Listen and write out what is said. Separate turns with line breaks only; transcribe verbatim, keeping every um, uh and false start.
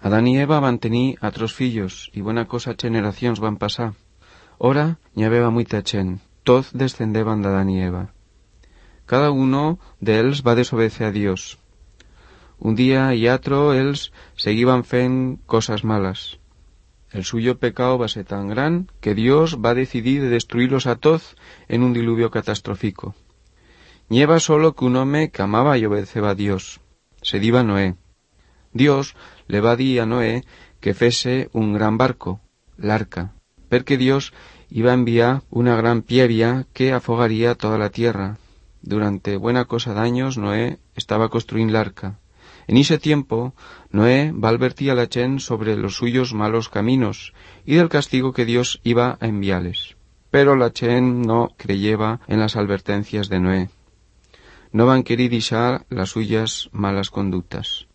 Adán i Eva van tenir altres fillos, i bona cosa generacions van passar. Ora n'hi havia muita gent, tots descendeban d'Adán i Eva. Cada uno d'ells va desobedecer a Dios. Un día y otro ells seguiban fent cosas malas. El suyo pecado va ser tan gran que Dios va decidir de destruirlos a todos en un diluvio catastrófico. Nieva solo que un home que amaba y obedeceba a Dios. Se diba Noé. Dios le va dir a Noé que fese un gran barco, l'arca, perquè Dios iba a enviar una gran pievia que afogaría toda la tierra. Durante buena cosa d'años Noé estaba construint l'arca. En ese tiempo, Noé va advertir a la gent sobre los suyos malos caminos y del castigo que Dios iba a enviarles. Pero la gent no creyeva en las advertencias de Noé. No van querer deixar las suyas malas conductas.